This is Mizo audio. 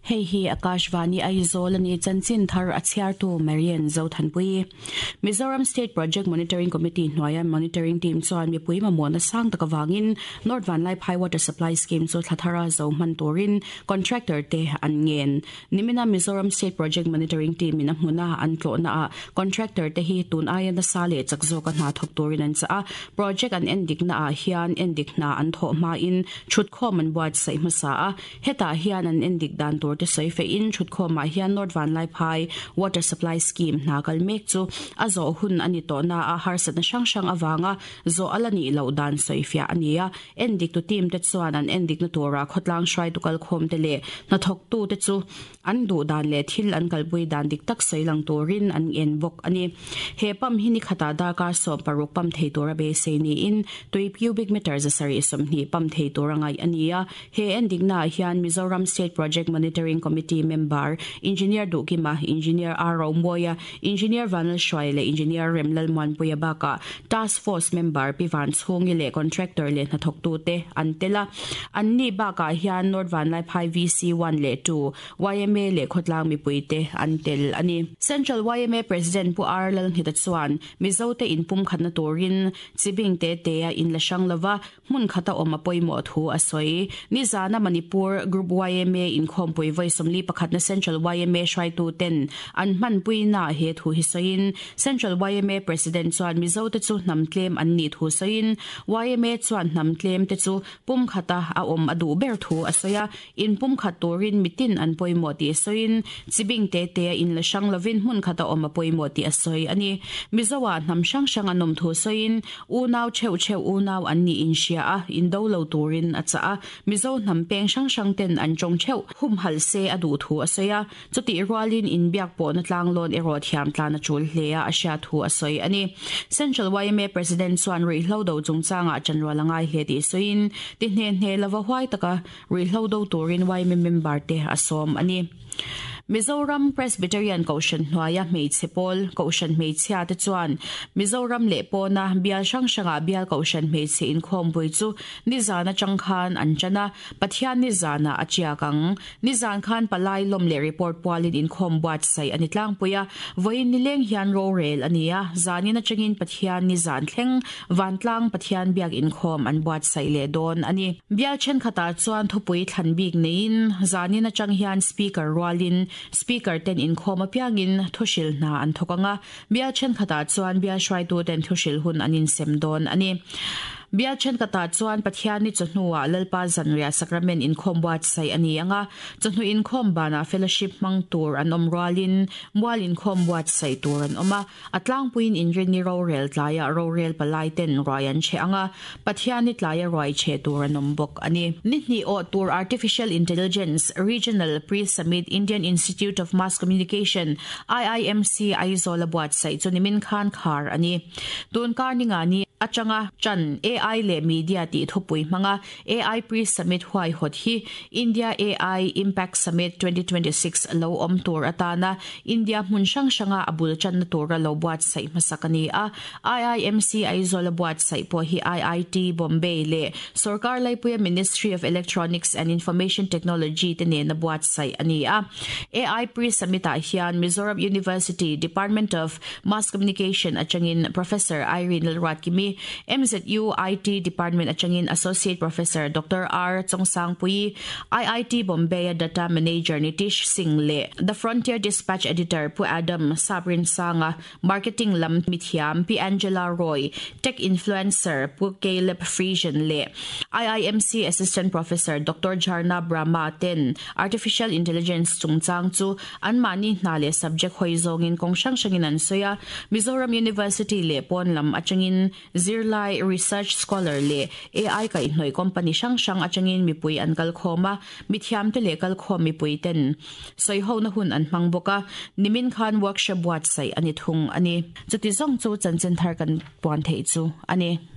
Hei hi Akashvani Aizawl a ni, chanchin thar a chhiartu Marian Zothanpui. Mizoram State Project Monitoring Committee hnuaia Monitoring Team chuan mipui mamawhna sang tak avangin North Vanlaiphai Water Supply Scheme chu thla thara zo hman turin contractor te an ngen. Nimina Mizoram State Project Monitoring Team in a hmuna an tlawhna ah contractor te hi tun aia nasa leh chak zawka hna thawk turin an chah a, project an endikna ah hian endik hna an thawh hmain thutkhawm an buatsaih hmasa a. Hetah hian an endik dan tur te sawi fehin thutkhawmah hian North Vanlaiphai Water Supply Scheme hna kal mek chu a zawh hun a ni tawh na a, harsatna hrang hrang avanga zawh a la nih loh dan sawi fiah a ni a. Endiktu team te chuan an endikna turah khawtlang hruaitu kalkhawm te leh hnathawktu te chu An duh dan leh thil an kalpui dan dik tak sawi lang turin an en bawk a ni. He pump hi ni khatah darkar 16 pump thei tura beisei niin tui cubic meter 720 pump thei tura ngaih a ni a. He endiknaah hian Mizoram State Project Monitoring Committee member Engineer Duhkima, Engineer R Romawia, Engineer Vanlalhruaia leh Engineer Remlalmuanpuia bakah Task Force member Pi Vanchhungi leh Contractor leh hnathawktute an tel a. Anni bakah hian North Vanlaiphai VC 1 leh 2, yma leh khawtlang mipuite an tel a ni. Central yma President Pu R Lalnghita chuan Mizote inpumkhatna turin chibing te tea in la hrang lova Hmun khata awm a pawimawh thu a sawi. Nizana Manipur Group yma inkhawmpui vawi 41 na Central yma hruaitu ten an hmanpuina he thu hi sawiin Central yma President chuan Mizo te chu hnam tlem an nih thu sawiin yma chuan hnam tlem te chu pum khata a awm a duh ber thu a sawi a, in pum khat turin mitin an pawimawh tih sawiin chibing te te a in la hrang lovin hmun khata awm a pawimawh tih a sawi a ni. Mizo ah hnam hrang hrang an awm thu sawiin Unau theuh theuh unau an nih inhria a, indo lo turin a chah a. Mizo hnam peng hrang hrang ten an tawng theuh humhalh se a duh thu a sawi a. Chutih rualin inbiak pawhna tlanglawn erawh thiam tlan a tul hle a, a hriat thu a sawi a ni. Central yma President chuan ruihhlo do chungchangah chanrual a ngai hle tih sawiin, ti hne hne lova huai taka ruihhlo do turin yma member te a sawm a ni. Mizoram Presbyterian Kohhran hnuaia hmeichhe pawl Kohhran hmeichhia te chuan Mizoram leh pawna bial hrang hrangah bial Kohhran hmeichhe inkhawmpui chu nizan atang khan an tan a, Pathian nizanah a tiak ang. Nizan khan palai lawm leh report pualin inkhawm buatsaih a ni tlangpui a, vawiin nileng hian rorel a ni a, zanin atangin Pathian nizan thleng Vantlang Pathian biak inkhawm an buatsaih leh dawn a ni. Bial thenkhatah chuan thupui thlan bik neiin zanin atang hian Speaker rualin Speaker ten inkhawm apiangin thuhrilh hna an thawk ang a, bial thenkhatah chuan bial hruaituten thuhrilh hun an insem dawn a ni. Bial thenkhatah chuan Pathianni chawhnuah Lalpa Zanriah Sacrament inkhawm buatsaih a ni ang a, chawhnu inkhawm banah fellowship hmang tur an awm rualin mual inkhawm buatsaih tur an awm a. A tlangpuiin inrinni rorel tlaiah rorel palai ten ruai an chhe ang a, Pathianni tlaia ruai chhe tur an awm bawk a ni. Ni hnih awh tur Artificial Intelligence Regional Pre-Summit Indian Institute of Mass Communication, IIMC, Aizawl a buatsaih chu nimin khan khar a ni. Tun kar ninga ni atanga tan AI leh Media tih thupui hmanga AI Pre-Summit huaihawt hi India AI Impact Summit 2026 lo awm tur atana India hmun hrang hranga a bul tanna tura lo buatsaih hmasak a ni a. IIMC Aizawl a buatsaih pawh hi IIT Bombay leh Sorkar Laipuia Ministry of Electronics and Information Technology te nena buatsaih a ni a. AI Pre-Summit ah hian Mizoram University Department of Mass Communication atangin Professor Irene Lalruatkimi, MZU IT Department atangin Associate Professor Doctor R Chawngsangpuii, IIT Bombay-a Data Manager Nitish Singh leh The Frontier Dispatch Editor Pu Adam Sabrinsanga, Marketing lam mithiam Pi Angela Roy, Tech Influencer Pu Caleb Friesen leh IIMC Assistant Professor Doctor Jharna Brahma ten Artificial Intelligence chungchang chu anmahni hna leh subject hawi zawngin kawng hrang hrangin an sawi a. Mizoram University leh pawn lam atangin Zirlai, research scholar leh AI kaihhnawih company hrang hrang atangin mipui an kal khawm a, mithiamte leh kalkhawm mipui ten sawihona hun an hmang bawk a, nimin khan workshop buatsaih a ni thung a ni. Chuti zawng chu chanchin thar kan puan theih chu a ni.